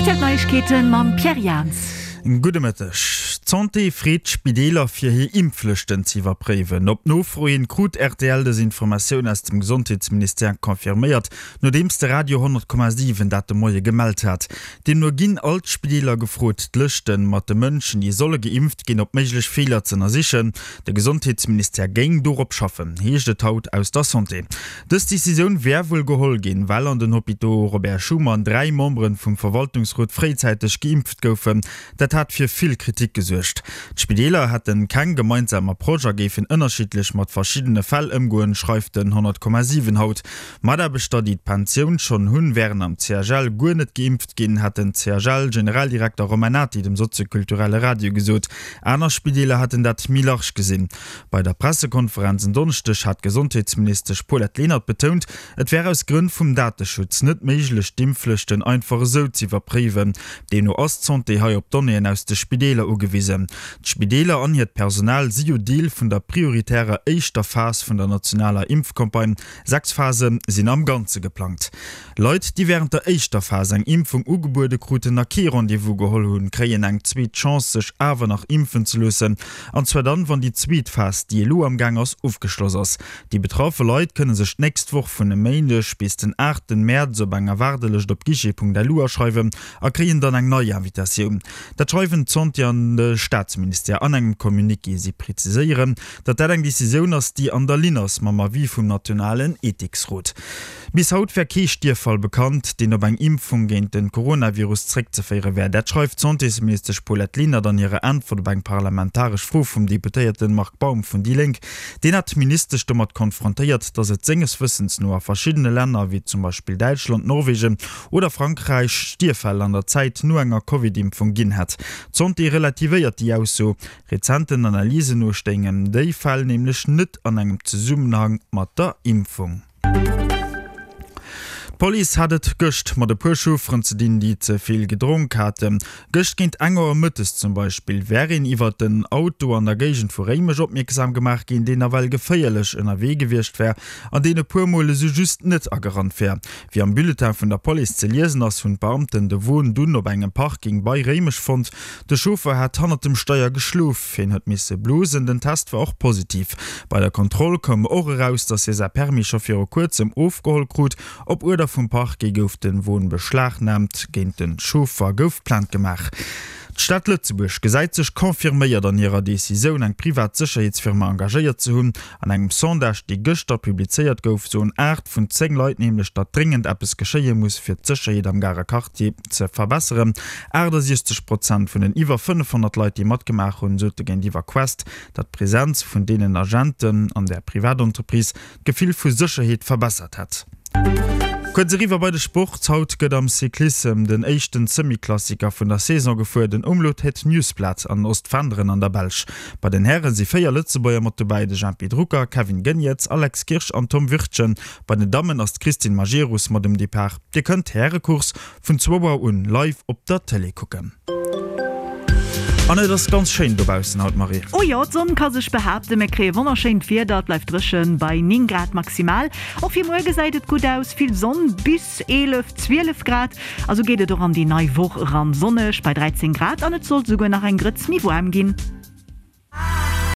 Rtl Neiegkeeten mam Pierre Jans. Gudde Mëtteg. D'Santé freet d'Spideeler fir hir Impflëschten ze iwwerpréiwen. Op Nofro hin krut rtl dës Informatioun aus dem Gesondheetsministère confirméiert, nodeems de Radio 100,7 dat de Moie gemellt hat. Deemno ginn all d'Spideeler gefrot, d'Lëschten mat de Mënschen, déi solle geimpft ginn, op méiglech Feeler z'ënnersichen. De Gesondheetsministère géing dorop schaffen, heescht et haut aus der Santé. Dës Decisioun wär wuel geholl ginn, well an den Hôpitaux Robert Schuman 3 Memberen vum Verwaltungsrot fréizäiteg geimpft goufen. Dat hat fir vill Kritik gesuergt. D'Spideeler hätten keng gemeinsam Approche a géifen ënnerschiddlech mat verschiddene Fäll ëmgoen, schreift den 100,7 haut. Mataarbechter, déi d'Pensioun schonn hunn, wären am CHL guer net geimpft ginn, hat den CHL-Generaldirekter Romain Nati dem soziokulturelle Radio gesot. Aner Spideeler hätten dat méi large gesinn. Bei der Pressekonferenz en Donneschdeg hat d'Gesondheetsministesch Paulette Lenert betount, et wär aus Grënn vum Dateschutz net méiglech, d'Impfflëschten einfach esou z'iwwerpréiwen. Deemno ass d'Santé hei op Donnéeën aus de Spideeler ugewisen. D'Spideeler an hiert Personal si jo Deel vun der prioritärer éischter Phas vun der nationaler Impfcampagne. 6 Phase sinn am Ganze geplangt. Leit, déi wärend der éischter Phas eng Impfung ugebuede kruten a kee Rendez-vous geholl hunn, kréien eng zweet Chance, sech awer nach impfen ze loossen. An zwar dann, wann déi zweet Phas, déi elo am Gaang ass, ofgeschloss ass. Déi betraffe Leit kënne sech d'nächst Woch vun e Méindeg bis den 8 Mäerz op enger Waardelëscht op guichet.lu aschreiwen a kréien dann eng nei Invitatioun. Dat schreiwen d'Santé an de Staatsministère an engem Communiqué. Si preziséieren, datt dat eng Decisioun ass, déi an der Linn ass mam Avis vum nationalen Ethiksrot. Bis haut wär kee Stierffall bekannt, deen op eng Impfung géint de Coronavirus zréckzeféiere wär. Dat schreift d'Santésministesch Paulette Lenert an hirer Äntwert op eng parlamentaresch Fro vum Deputéierte Marc Baum vun déi Lénk. Deen hat d'Ministesch domat konfrontéiert, datt et senges Wëssens no a verschiddene Länner, wéi zum Beispill Däitschland, Norwegen oder Frankräich, Stierffäll an der Zäit no enger Covid-Impfung ginn hätt. D'Santé relativéiert déi Ausso. Rezenten Analysen no stéingen déi Fäll nämlech net an engem Zesummenhang mat der Impfung. D'Police hat et gëscht mat e puer Chaufferen ze dinn, déi ze vill gedronk haten. Gëscht géint eng Auer mëttes zum Beispill wär een iwwert en Auto an der Géigend vu Réimech opmierksam gemaach ginn, deen nawell geféierlech ënnerwee gewiescht wär an deen e puer Mol esou just net agerannt wär. Wéi am Bulletin vun der Police ze liesen ass, hunn d'Beamten de Won dunn op engem Parking bei Réimech fonnt. De Chauffer hat hannert dem Steier geschlof, hien huet misse blosen. Den Test war och positiv. Bei der Kontroll koum och eraus, datt hie säi Permis scho viru kuerzem ofgeholl krut. Op Uerder vum Parquet gouf de Won beschlagnaamt, géint de Chauffer gouf Plainte gemaach. D'Stad Lëtzebuerg gesäit sech confirméiert an hirer Decisioun, eng privat Sécherheetsfirma engagéiert ze hunn. An engem Sondage, dee gëschter publizéiert gouf, soen 8 vun 10 Leit nämlech, datt dréngend eppes geschéie muss, fir d'Sécherheet am Garer Quartier ze verbesseren. 68 Prozent vun den iwwer 500 Leit, déi matgemaach hunn, sote géintiwwer Quest, datt d'Presenz vun deenen Agenten an der Privatentreprise d'Gefill vu Sécherheet verbessert hätt. Kuerz eriwwer bei de Sport, Haut gëtt am Cyclissem den éischten Semi-Klassiker vun der Saison gefuer, den Omloop Het Nieuwsblad an Ostflanderen an der Belsch. Bei den Häre si 4 Lëtzebuerger mat dobäi, de Jempy Drucker, Kevin Geniets, Alex Kirsch an Tom Wirtgen. Bei den Dammen ass d'Christine Majerus mat um Depart. Dir kënnt d'Härecourse Vun zwou Auer un live op der Télé kucken. An et ass ganz schéin dobaussen haut, Marie. Oh jo, d'Sonn ka sech behaapten, mir kréie wonnerschéint Wieder, et bleift dréchen bei 9 Grad maximal. Och fir muer gesäit et gutt aus, vill Sonn bis 11, 12 Grad. A sou geet et och an déi nei Woch eran, sonneg bei 13 Grad an et sollt esouguer nach eng Grëtz méi waarm ginn.